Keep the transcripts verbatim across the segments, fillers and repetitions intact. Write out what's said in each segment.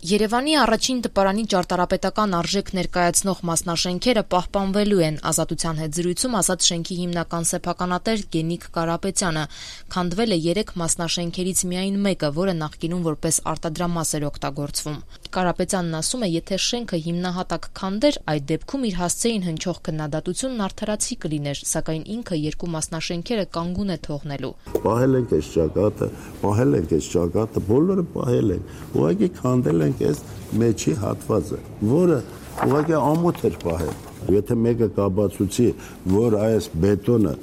Երևանի առաջին տպարանի ճարտարապետական արժեք ներկայացնող մասնաշենքերը պահպանվելու են։ Ազատության հետ զրույցում ասաց շենքի հիմնական սեփականատեր Գենիկ Կարապետյանը։ Քանդվել է երեք մասնաշենքերից միայն մեկը, որը նախկինում որպես արտադրամաս էր օգտագործվում։ Կարապետյանն ասում է, եթե շենքը հիմնահատակ քանդեր, այդ դեպքում իր հասցեին հնչող քննադատությունն արդարացի կլիներ, սակայն ինքը երկու մասնաշենքերը կանգուն է թողնելու։ Պահել ենք այս ճակատը, պահել ենք այս ճակատը, բոլորը պահել ենք։ Ուղղակի քանդել ենք այս մեջի հատվածը, որը ուղղակի ամոթ էր պահել։ Եթե մեկը կաբացուցի, որ այս բետոնը,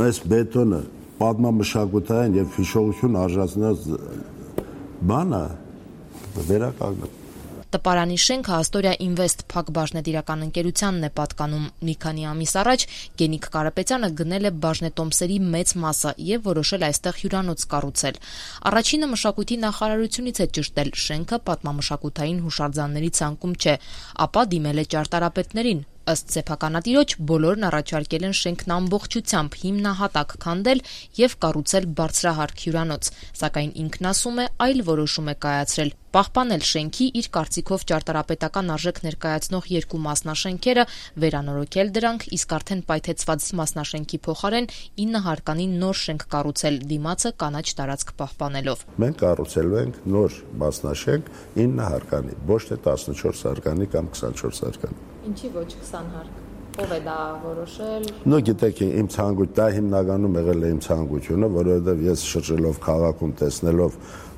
այս բետոնը պատմամշակութային եւ հիշողություն արժանացած բան է, վերականգնի։ Տպարանի շենքը Աստորիա Ինվեստ Փակ բաժնետիրական ընկերությանն է պատկանում։ Մի քանի ամիս առաջ Գենիկ Կարապետյանը գնել է բաժնետոմսերի մեծ մասը եւ որոշել այստեղ հյուրանոց կառուցել։ Առաջինը մշակույթի նախարարությունից է ճշտել շենքը պատմամշակութային հուշարձանների ցանկում չէ, ապա դիմել է ճարտարապետներին։ Ըստ սեփականատիրոջ բոլորն առաջարկել են շենքն ամբողջությամբ հիմնահատակ քանդել եւ կառուցել բարձրահարկ հյուրանոց, սակայն ինքն ասում է այլ որոշում է կայացրել՝ պահպանել շենքի իր կարծիքով ճարտարապետական արժեք ներկայացնող երկու մասնաշենքերը, վերանորոգել դրանք, իսկ արդեն պայթեցված մասնաշենքի փոխարեն ինը հարկանի նոր շենք կառուցել, դիմացը կանաչ տարածք պահպանելով։ Մենք կառուցելու ենք նոր մասնաշենք ինը հարկանի, ոչ թե տասնչորս հարկանի կամ քսանչորս հարկանի։ Ինչի ոչ քսան հարկ։ Ո՞վ է դա որոշել։ Նո գիտեք, իմ ցանկություն, դա հիմնականում եղել է իմ ցանկությունը, որովհետև ես շրջելով քաղաքում տեսնելով,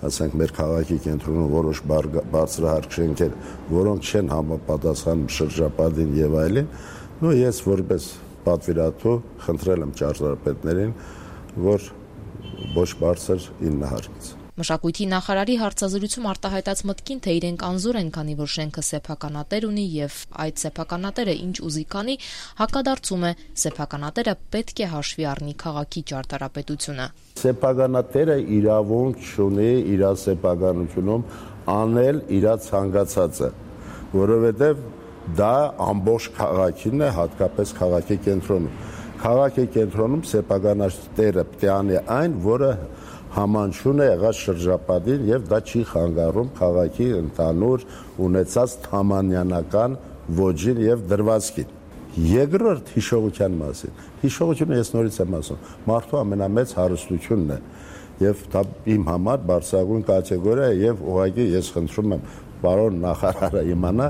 ասենք մեր քաղաքի կենտրոնում որոշ բարձրահարկ շենքեր, որոնք չեն համապատասխանում շրջապատին եւ այլն, նո ես որպես պատվիրատու խնդրել եմ ճարտարապետներին, որ ոչ բարձր ինը հարկից։ Մշակույթի նախարարի հարցազրույցում արտահայտած մտքին, թե իրենք անզոր են, քանի որ շենքը սեփականատեր ունի եւ այդ սեփականատերը ինչ ուզի կանի, հակադարձում է, սեփականատերը պետք է հաշվի առնի քաղաքի ճարտարապետությունը։ Սեփականատերը իրավունք չունի իր սեփականությունում անել իր ցանկացածը, որովհետեւ դա ամբողջ քաղաքին է, հատկապես քաղաքի կենտրոնում։ Քաղաքի կենտրոնում սեփականատերը պետք է անի այն, որը համանշուն է եղած շրջապատին եւ դա չի խանգարում քաղաքի ընդհանուր ունեցած թամանյանական ոճին եւ դրվածքին։ Երկրորդ հիշողության մասին։ Հիշողությունը ես նորից եմ ասում, մարդու ամենամեծ հարստությունն է եւ դա իմ համար բարձրագույն կատեգորիա է եւ ուղղակի ես խնդրում եմ պարոն նախարարը իմանա,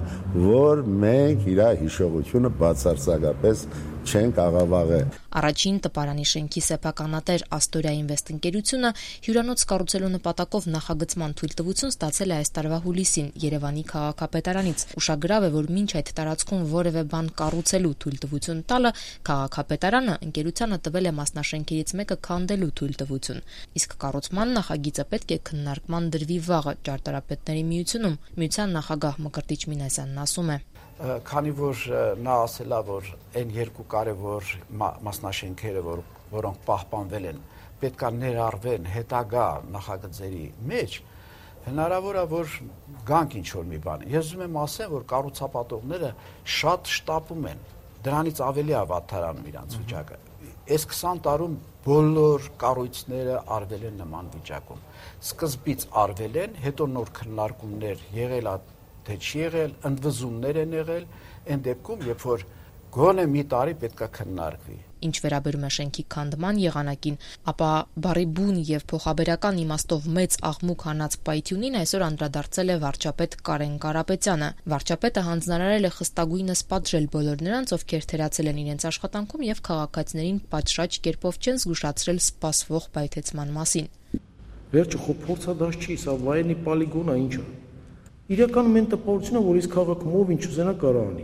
որ մենք իր հիշողությունը բացարձակապես չենք աղավաղել։ Առաջին տպարանի շենքի սեփականատեր Աստորիա Ինվեստ ընկերությունը հյուրանոց կառուցելու նպատակով նախագծման թույլտվություն ստացել է այս տարվա հուլիսին Երևանի քաղաքապետարանից։ Ուշագրավ է, որ մինչ այդ տարածքում որևէ բան կառուցելու թույլտվություն տալը քաղաքապետարանը ընկերությանը տվել է մասնաշենքերից մեկը քանդելու թույլտվություն։ Իսկ կառուցման նախագիծը պետք է քննարկման դրվի վաղը ճարտարապետների միությունում։ Միության նախագահ Մկրտիչ Մինասյանն ասում է. Քանի որ նա ասել է, որ այն երկու կարևոր մասնաշենքերը, որ, որոնք պահպանվել են, պետք է ներառվեն հետագա նախագծերի մեջ, հնարավոր է, որ գանք ինչ-որ մի բան։ Ես ուզում եմ ասեմ, որ կառուցապատողները շատ շտապում են, դրանից ավելի է վատթարանում իրանց վիճակը։ Այս քսան տարում բոլոր կառույցները արվել են նման վիճակում։ Սկզբից արվել են, հետո նոր քննարկումներ եղել է, թե չի եղել, ընդվզումներ են եղել, այն դեպքում, երբ որ գոնե մի տարի պետք է քննարկվի։ Ինչ վերաբերում է շենքի քանդման եղանակին, ապա բառի բուն եւ փոխաբերական իմաստով մեծ աղմուկ հանած պայթյունին այսօր անդրադարձել է վարչապետ Կարեն Կարապետյանը։ Վարչապետը հանձնարարել է խստագույնս պատժել բոլոր նրանց, ովքեր թերացել են իրենց աշխատանքում եւ քաղաքացիներին պատշաճ կերպով չեն զգուշացրել սպասվող պայթեցման մասին։ Վերջը խո փորձադաշ չի, սա վայրենի պոլիգոն է, ինչ է։ Իրականում այն տպավորությունն է, որ այս քաղաքում ով ինչ ուզենա կարող անի։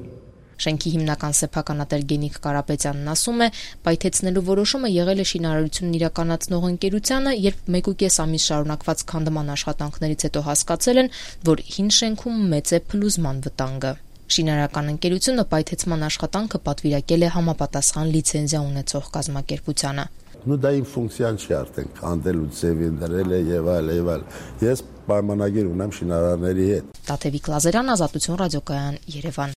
Շենքի հիմնական սեփականատեր Գենիկ Կարապետյանն ասում է, պայթեցնելու որոշումը եղել է շինարարությունն իրականացնող ընկերությանը, երբ մեկուկես ամիս շարունակված քանդման աշխատանքներից հետո հասկացել են, որ հին շենքում մեծ է փլուզման վտանգը։ Շինարարական ընկերությունը պայթեցման աշխատանքը պատվիրակել է համապատասխան լիցենզիա ունեցող կազմակերպությանը։ Նու դա իմ ֆունկցիան չի արդեն քանդելու ձևին դրել է եւ այլ եւ այլ։ Ես պայմանագիր ունեմ շինարարների հետ։ Տաթևիկ Լազարյան, Ազատություն ռադիոկայան, Երևան։